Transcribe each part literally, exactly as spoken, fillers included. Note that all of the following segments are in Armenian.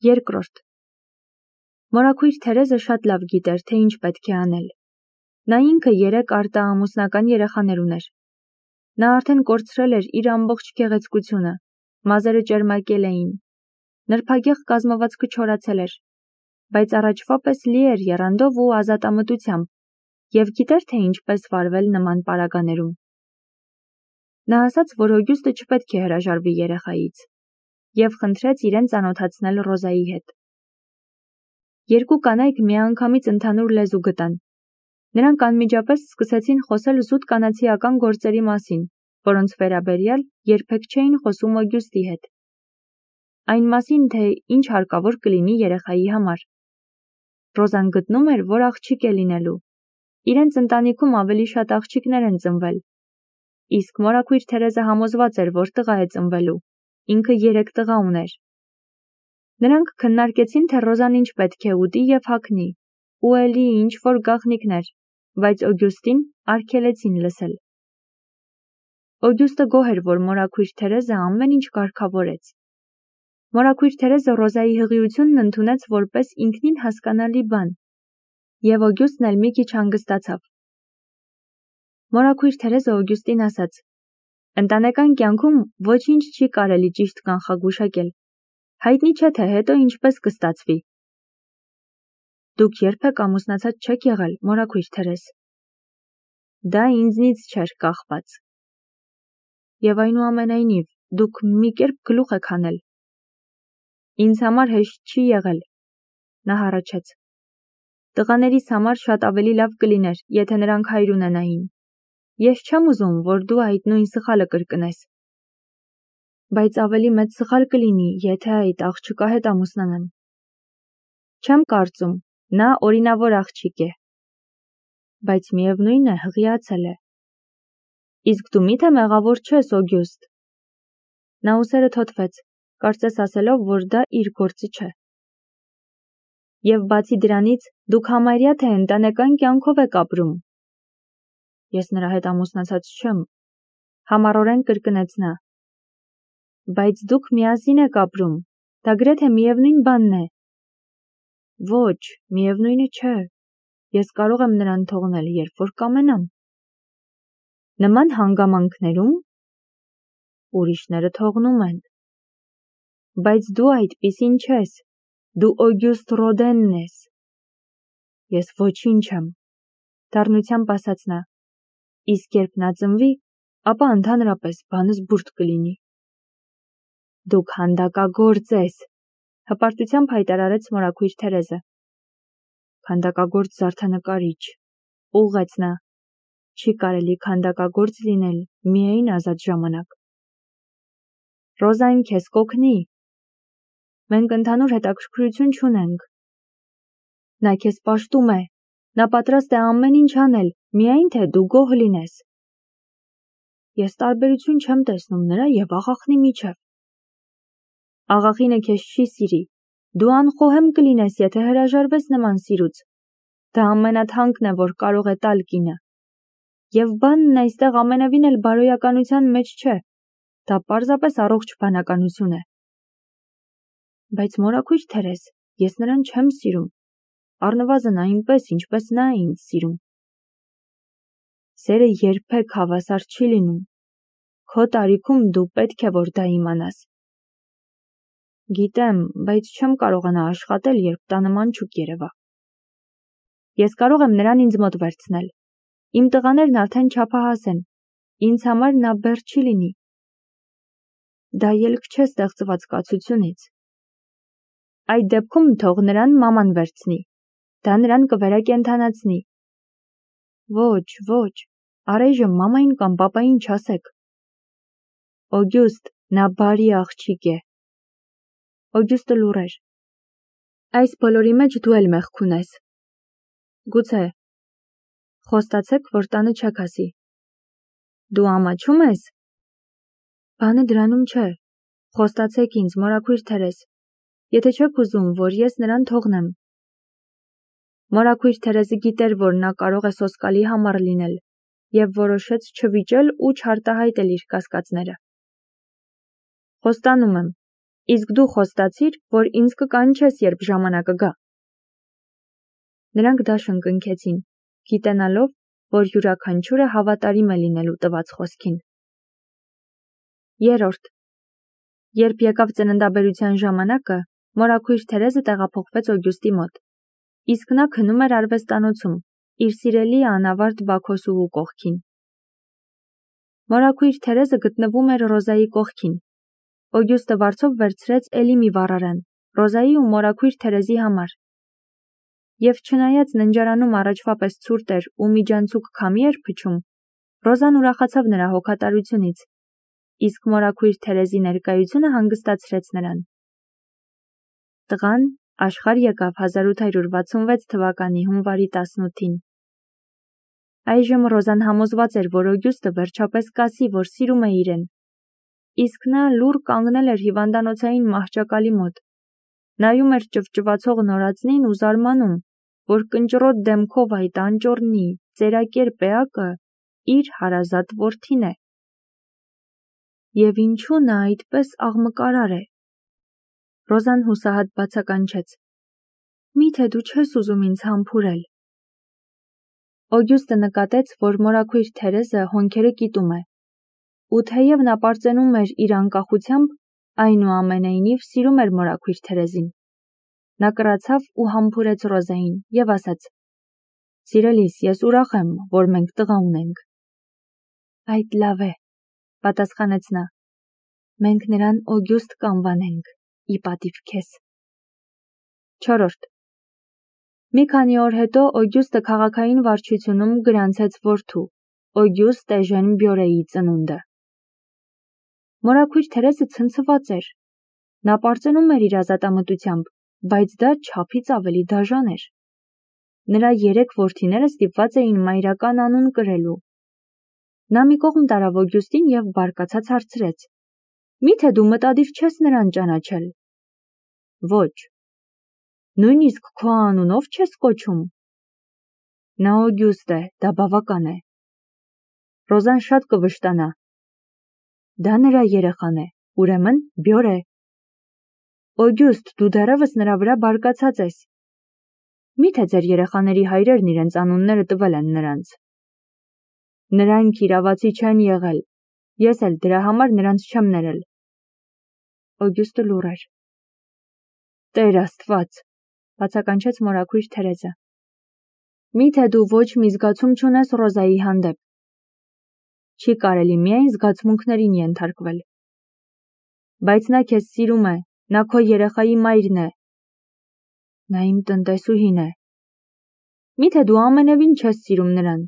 Երկրորդ. Մորաքույր Թերեզը շատ լավ գիտեր, թե ինչ պետք է անել։ Նա ինքը երեք արտաամուսնական երեխաներ ուներ։ Նա արդեն կորցրել էր իր ամբողջ գեղեցկությունը, մազերը ճերմակել էին, նրբագեղ կազմվածքը չորացել էր, բայց առաջվա պես լի էր եռանդով ու ազատամտությամբ, և գիտեր, թե ինչպես վարվել նման պարագաներում։ Նա ասաց, որ Օգյուստը չպետք է հրաժարվի երեխայից, և խնդրեց իրեն ծանոթացնել Ռոզայի հետ։ Երկու կանայք միանգամից ընդհանուր լեզու գտան։ Նրանք անմիջապես սկսեցին խոսել զուտ կանացիական գործերի մասին, որոնց վերաբերյալ երբեք չէին խոսում Օգյուստի հետ։ Այն մասին, թե ինչ հարկավոր կլինի երեխայի համար։ Ռոզան գտնում էր, որ աղջիկ է լինելու։ Իրենց ընտանիքում ավելի շատ աղջիկներ են ծնվել։ Իսկ մորաքույր Թերեզը համոզված էր, որ տղա է ծնվելու։ Ինքը երեք տղա ուներ։ Նրանք քննարկեցին, թե Ռոզան ինչ պետք է ուտի և հագնի, ու էլի ինչ որ գաղտնիքներ, բայց Օգյուստին արգելեցին լսել։ Օգյուստը գոհ էր, որ մորաքույր Թերեզը ամեն ինչ կարգավորեց։ Մորաքույր Թերեզը Ռոզայի հղիությունն ընդունեց որպես ինքնին հասկանալի բան, և Օգյուստն էլ մի քիչ հանգստացավ։ Մորաքույր Թերեզը Օգյուստին ասաց. «Ընտանեկան կյանքում ոչինչ չի կարելի ճիշտ կանխագուշակել։ Հայտնի չէ, թե հետո ինչպես կստացվի»։ Դուք երբեք ամուսնացած չեք եղել, մորաքույր Թերեզ։ Դա ինձնից չէր կախված։ Եվ այնուամենայնիվ, դուք մի կերպ գլուխ եք հանել։ Ինձ համար հեշտ չի եղել, նա հառաչեց։ Տղաներիս համար շատ ավելի լավ կլիներ, եթե նրանք հայր ունենային։ Ես չեմ ուզում, որ դու այդ նույն սխալը կրկնես։ Բայց ավելի մեծ սխալ կլինի, եթե այդ աղջկա հետ ամուսնանամ։ Չեմ կարծում, նա օրինավոր աղջիկ է։ Բայց միևնույն է, հղիացել է։ Իսկ դու միթե մեղավոր չես, Օգյուստ։ Նա ուսերը թոթվեց, կարծես ասելով, որ դա իր գործը չէ։ Եվ բացի դրանից, դուք համարյա թե ընտանեկան կյանքով եք ապրում։ Ես նրա հետ ամուսնացած չեմ, համառորեն կրկնեց նա։ Բայց դուք միասին եք ապրում, դա գրեթե միևնույն բանն է։ Ոչ, միևնույնը չէ։ Ես կարող եմ նրան թողնել, երբ որ կամենամ։ Նման հանգամանքներում ուրիշները թողնում են։ Բայց դու այդպիսին չես, դու Օգյուստ Ռոդենն ես։ Ես ոչինչ եմ, դառնությամբ ասաց նա, իսկ երբ նա ծնվի, ապա ընդհանրապես բանս բուրդ կլինի։ Դուք քանդակագործ ես, հպարտությամբ հայտարարեց մորաքույր Թերեզը։ Քանդակագործ զարդանկարիչ, ուղղեց նա, չի կարելի քանդակագործ լինել միայն ազատ ժամանակ։ Ռոզան քեզ կօգնի։ Մենք ընդհանուր հետաքրքրություն չունենք։ Նա քեզ պաշտում է, նա պատրաստ է ամեն ինչ անել, միայն թե դու գոհ լինես։ Ես տարբերություն չեմ տեսնում նրա և աղախնի միջև։ Աղախինը քեզ չի սիրի, դու անխոհեմ կլինես, եթե հրաժարվես նման սիրուց։ Դա ամենաթանկն է, որ կարող է տալ կինը։ Եվ բանն այստեղ ամենևին էլ բարոյականության մեջ չէ, դա պարզապես առողջ բանականություն է։ Բայց մորաքույր Թերեզ, ես նրան չեմ սիրում, առնվազն այնպես, ինչպես նա է ինձ սիրում։ Սերը երբեք հավասար չի լինում։ Քո տարիքում դու պետք է որ դա իմանաս։ Գիտեմ, բայց չեմ կարողանա աշխատել, երբ տանը մանչուկ երևա։ Ես կարող եմ նրան ինձ մոտ վերցնել։ Իմ տղաներն արդեն չափահաս են։ Ինձ համար նա բեռ չի լինի։ Դա ելք չէ ստեղծված կացությունից։ Այդ դեպքում թող նրան մաման վերցնի։ Դա նրան կվերակենդանացնի։ Ոչ, ոչ, առայժմ մամային կամ պապային չասեք։ Օգյուստ, նա բարի աղջիկ է։ Օգյուստը լուռ էր։ Այս բոլորի մեջ դու էլ մեղք ունես։ Գուցե։ Խոստացեք, որ տանը չեք ասի։ Դու ամաչում ես։ Բանը դրանում չէ։ Խոստացեք ինձ, մորաքույր Թերեզ, եթե չեք ուզում, որ ես նրան թողնեմ։ Մորաքույր Թերեզը գիտեր, որ նա կարող է սոսկալի համառ լինել, և որոշեց չվիճել ու չարտահայտել իր կասկածները։ Խոստանում եմ, Իսկ դու խոստացիր, որ ինձ կկանչես, երբ ժամանակը գա։ Նրանք դաշն կնքեցին, գիտենալով, որ յուրաքանչյուրը հավատարիմ է լինելու տված խոսքին։ Երրորդ. Երբ եկավ ծննդաբերության ժամանակը, մորաքույր Թերեզը տեղափոխվեց Օգյուստի մոտ, իսկ նա քնում էր արվեստանոցում, իր սիրելի անավարտ Բաքոսուհու կողքին։ Մորաքույր Թերեզը գտնվում էր Ռոզայի կողքին։ Օգյուստը վարձով վերցրեց էլի մի վառարան, Ռոզայի ու մորաքույր Թերեզի համար։ Եվ չնայած ննջարանում առաջվա պես ցուրտ էր ու միջանցուկ քամի էր փչում, Ռոզան ուրախացավ նրա հոգատարությունից, իսկ մորաքույր Թերեզի ներկայությունը հանգստացրեց նրան։ Տղան աշխարհ եկավ հազար ութ հարյուր վաթսունվեց թվականի հունվարի տասնութին։ Այժմ Ռոզան համոզված էր, որ Օգյուստը վերջապես կասի, որ սիրում է իրեն, իսկ նա լուռ կանգնել էր հիվանդանոցային մահճակալի մոտ, նայում էր ճվճվացող նորածնին ու զարմանում, որ կնճռոտ դեմքով այդ անճոռնի, ծերակերպ էակը իր հարազատ որդին է։ Եվ ինչու նա այդպես աղմկարար է։ Ռոզան հուսահատ բացականչեց. Միթե դու չես ուզում ինձ համբուրել։ Օգյուստը նկատեց, որ մորաքույր Թերեզը հոնքերը կիտում է, ու թեև նա պարծենում էր իր անկախությամբ, այնուամենայնիվ սիրում էր մորաքույր Թերեզին։ Նա կռացավ ու համբուրեց Ռոզային և ասաց. Սիրելիս, ես ուրախ եմ, որ մենք տղա ունենք։ Այդ լավ է, պատասխանեց նա։ Մենք նրան Օգյուստ կանվանենք, ի պատիվ քեզ։ Չորրորդ. Մի քանի օր հետո Օգյուստը քաղաքային վարչությունում գրանցեց որդու, Օգյուստ Էժեն Բյորեի ծնունդը։ Մորաքույր Թերեզը ցնցված էր։ Նա պարծենում էր իր ազատամտությամբ, բայց դա չափից ավելի դաժան էր։ Նրա երեք որդիները ստիպված էին մայրական անուն կրելու։ Նա մի կողմ տարավ Օգյուստին և բարկացած հարցրեց. Միթե դու մտադիր չես նրան ճանաչել։ Ոչ։ Նույնիսկ քո անունով չես կոչում։ Նա Օգյուստ է, դա բավական է։ Ռոզան շատ կվշտանա։ Դա նրա երեխան է, ուրեմն Բյորե։ Օգյուստ, դու դեռևս նրա վրա բարկացած ես։ Միթե ձեր երեխաների հայրերն իրենց անունները տվել են նրանց։ Նրանք իրավացի չեն եղել, ես էլ դրա համար նրանց չեմ ներել։ Օգյուստը լուռ էր։ Տեր Աստված, բացականչեց մորաքույր Թերեզը։ Միթե դու ոչ մի զգացում չունես Ռոզայի հանդեպ։ Չի կարելի միայն զգացմունքներին ենթարկվել։ Բայց նա քեզ սիրում է, նա քո երեխայի մայրն է։ Նա իմ տնտեսուհին է։ Միթե դու ամենևին չես սիրում նրան։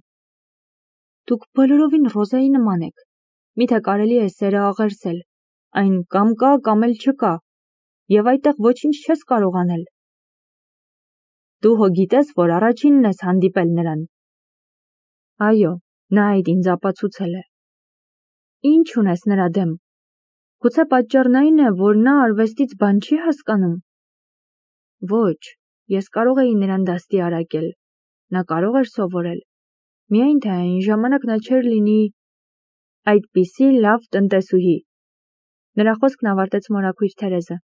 Դուք բոլորովին Ռոզայի նման եք։ Միթե կարելի է սերը աղերսել, այն կամ կա, կամ էլ չկա, և այդտեղ ոչինչ չես կարող անել։ Դու հո գիտես, որ առաջինն ես հանդիպել նրան։ Այո, նա այդ ինձ ապացուցել է։ Ինչ ունես նրա դեմ։ Գուցե պատճառն այն է, որ նա արվեստից բան չի հասկանում։ Ոչ, ես կարող էի նրան դաստիարակել, նա կարող էր սովորել, միայն թե այն ժամանակ նա չէր լինի այդպիսի լավ տնտեսուհի։ Նրա խոսքն ավարտեց մորաքույր Թերեզը։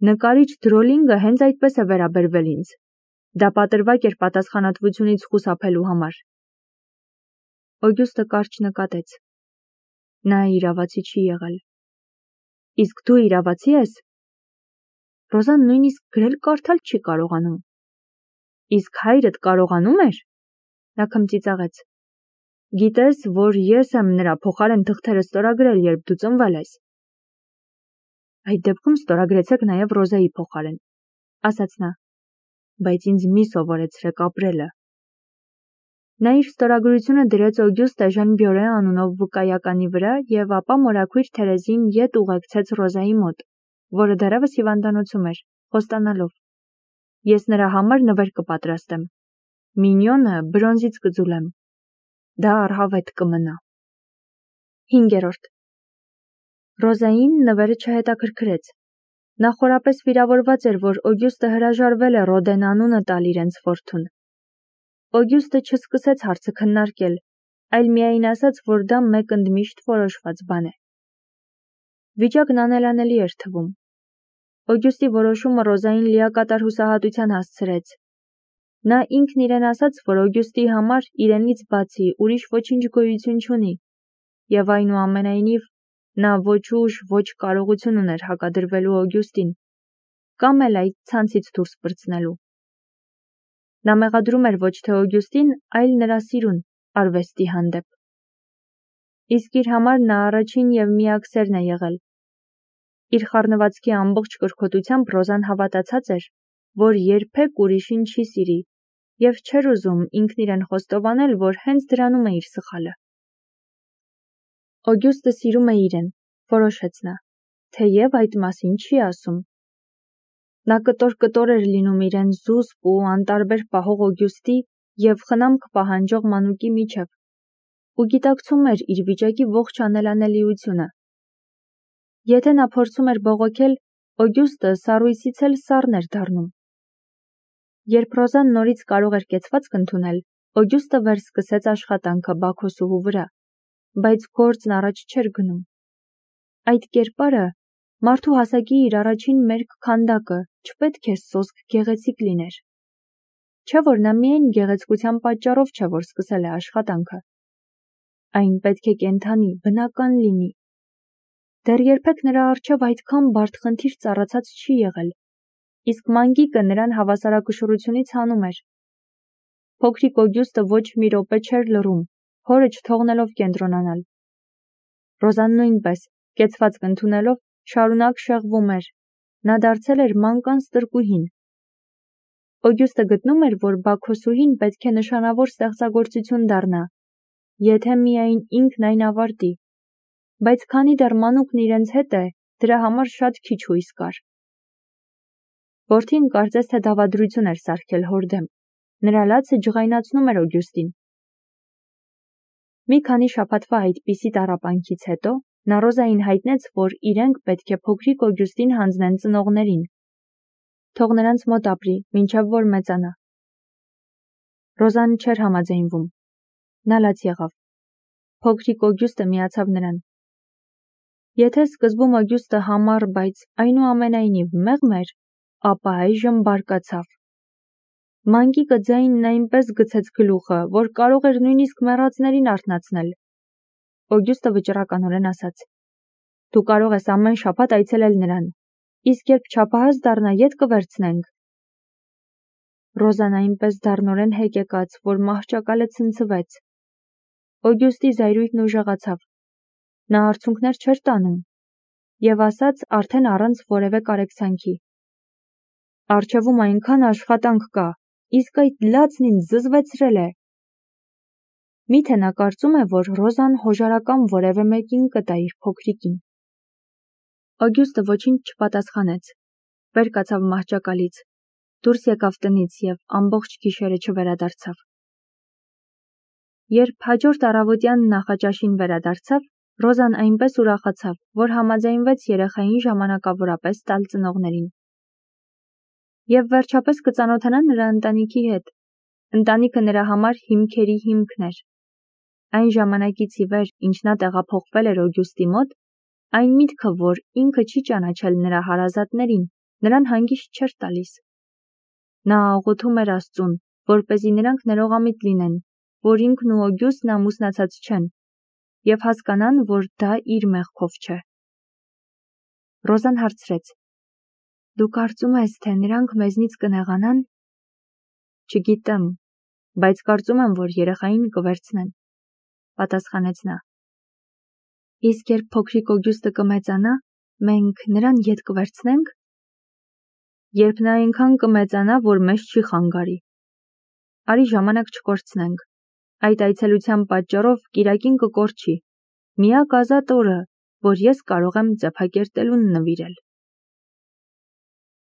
Նկարիչ Դրոլինգը հենց այդպես է վերաբերվել ինձ։ Դա պատրվակ էր պատասխանատվությունից խուսափելու համար։ Օգյուստը կարճ նկատեց։ Նա իրավացի չի եղել։ Իսկ դու իրավացի ես։ Ռոզան նույնիսկ գրել կարդալ չի կարողանում։ Իսկ հայրդ կարողանում էր։ Նա քմծիծաղեց։ Գիտես, որ ես եմ նրա փոխարեն թղթերը ստորագրել, երբ դու ծնվել ես։ Այդ դեպքում ստորագրեցեք նաև Ռոզայի փոխարեն, ասաց նա, բայց ինձ մի սովորեցրեք ապրելը։ Նա իր ստորագրությունը դրեց Օգյուստ Էժեն Բյորե անունով վկայականի վրա և ապա մորաքույր Թերեզին ետ ուղեկցեց Ռոզայի մոտ, որը դեռևս հիվանդանոցում էր, խոստանալով. Ես նրա համար նվեր կպատրաստեմ։ Մինյոնը բրոնզից կձուլեմ։ Դա առհավետ կմնա։ Հինգերորդ. Ռոզային նվերը չհետաքրքրեց։ Նա խորապես վիրավորված էր, որ Օգյուստը հրաժարվել է Ռոդեն անունը տալ իրենց որդուն։ Օգյուստը չսկսեց հարցը քննարկել, այլ միայն ասաց, որ դա մեկ ընդմիշտ որոշված բան է։ Վիճակն անելանելի էր թվում, Օգյուստի որոշումը Ռոզային լիակատար հուսահատության հասցրեց։ Նա ինքն իրեն ասաց, որ Օգյուստի համար իրենից բացի ուրիշ ոչինչ գոյություն չունի, եւ այնուամենայնիվ նա ոչ ուժ, ոչ կարողություն ուներ հակադրվելու Օգյուստին, կամ էլ այդ ցանցից դուրս պրծնելու։ Նա մեղադրում էր ոչ թե Օգյուստին, այլ նրա սիրուն արվեստի հանդեպ։ Իսկ իր համար նա առաջին եւ միակ սերն է եղել։ Իր խառնվածքի ամբողջ կրքոտությամբ Ռոզան հավատացած էր, որ երբեք ուրիշին չի սիրի, եւ չէր ուզում ինքն իրեն խոստովանել, որ հենց դրանում է իր սխալը։ Օգյուստը սիրում է իրեն, որոշեց նա, թեև այդ մասին չի ասում։ Նա կտոր-կտոր էր լինում իրեն զուսպ ու անտարբեր պահող Օգյուստի եւ խնամք պահանջող մանուկի միջև, ու գիտակցում էր իր վիճակի ողջ անելանելիությունը։ Եթե նա փորձում էր բողոքել, Օգյուստը սառույցից էլ սառն էր դառնում։ Երբ Ռոզան նորից կարող էր կեցվածք ընդունել, Օգյուստը վերսկսեց աշխատանքը Բաքոսուհու վրա, բայց գործն առաջ չէր գնում։ Այդ կերպարը մարդու հասակի իր առաջին մերկ քանդակը չպետք է սոսկ գեղեցիկ լիներ։ Չէ՞ որ նա միայն գեղեցկության պատճառով չէ, որ սկսել է աշխատանքը։ Այն պետք է կենդանի, բնական լինի։ Դեռ երբեք նրա առջև այդքան բարդ խնդիր ծառացած չի եղել, իսկ մանգիկը նրան հավասարակշռությունից հանում էր։ Փոքրիկ Օգյուստը ոչ մի րոպե չէր լռում, հորը չթողնելով կենտրոնանալ։ Ռոզան նույնպես, կեցվածք ընդունելով, շարունակ շեղվում էր, նա դարձել էր մանկան ստրկուհին։ Օգյուստը գտնում էր, որ Բաքոսուհին պետք է նշանավոր ստեղծագործություն դառնա, եթե միայն ինքն այն ավարտի, բայց քանի դեռ մանուկն իրենց հետ է, դրա համար շատ քիչ հույս կար։ Որդին կարծես թե դավադրություն էր սարքել հոր դեմ, նրա լացը ջղայնացնում էր Օգյուստին։ Մի քանի շաբաթվա այդպիսի տառապանքից հետո նա Ռոզային հայտնեց, որ իրենք պետք է փոքրիկ Օգյուստին հանձնեն ծնողներին։ Թող նրանց մոտ ապրի, մինչև որ մեծանա։ Ռոզան չէր համաձայնվում։ Նա լաց եղավ։ Փոքրիկ Օգյուստը միացավ նրան։ Եթե սկզբում Օգյուստը համառ, բայց այնուամենայնիվ մեղմ էր, ապա այժմ բարկացավ։ Մանկիկը ձայնն այնպես գցեց գլուխը, որ կարող էր նույնիսկ մեռածներին արթնացնել։ Օգյուստը վճռականորեն ասաց. Դու կարող ես ամեն շաբաթ այցելել նրան, իսկ երբ չափահաս դառնա, ետ կվերցնենք։ Ռոզան այնպես դառնորեն հեկեկաց, որ մահճակալը ցնցվեց։ Օգյուստի զայրույթն ուժեղացավ։ Նա արցունքներ չէր տանում եւ ասաց արդեն առանց որևէ կարեկցանքի. Առջևում այնքան աշխատանք կա, իսկ այդ լացն ինձ զզվեցրել է։ Միթե նա կարծում է, որ Ռոզան հոժարական որևէ մեկին կտա իր փոքրիկին։ Օգյուստը ոչինչ չպատասխանեց, վեր կացավ մահճակալից, դուրս եկավ տնից եւ ամբողջ գիշերը չվերադարձավ։ Երբ հաջորդ առավոտյան նախաճաշին վերադարձավ, Ռոզան այնպես ուրախացավ, որ համաձայնվեց երեխային ժամանակավորապես տալ ծնողներին։ Եվ վերջապես կծանոթանա նրա ընտանիքի հետ։ Ընտանիքը նրա համար հիմքերի հիմքն էր։ Այն ժամանակից ի վեր, ինչ նա տեղափոխվել էր Օգյուստի մոտ, այն միտքը, որ ինքը չի ճանաչել նրա հարազատներին, նրան հանգիստ չէր տալիս։ Նա աղոթում էր Աստծուն, որպեսզի նրանք ներողամիտ լինեն, որ ինքն ու Օգյուստն ամուսնացած չեն, եւ հասկանան, որ դա իր մեղքով չէ։ Ռոզան հարցրեց. Դու կարծում ես, թե նրանք մեզնից կնեղանան։ Չգիտեմ, բայց կարծում եմ, որ երեխային կվերցնեն, պատասխանեց նա։ Իսկ երբ փոքրիկ Օգյուստը կմեծանա, մենք նրան ետ կվերցնենք։ Երբ նա այնքան կմեծանա, որ մեզ չի խանգարի։ Արի ժամանակ չկորցնենք։ Այդ այցելության պատճառով կիրակին կկորչի։ Միակ ազատ օրը, որ ես կարող եմ ձեփակերտելուն նվիրել։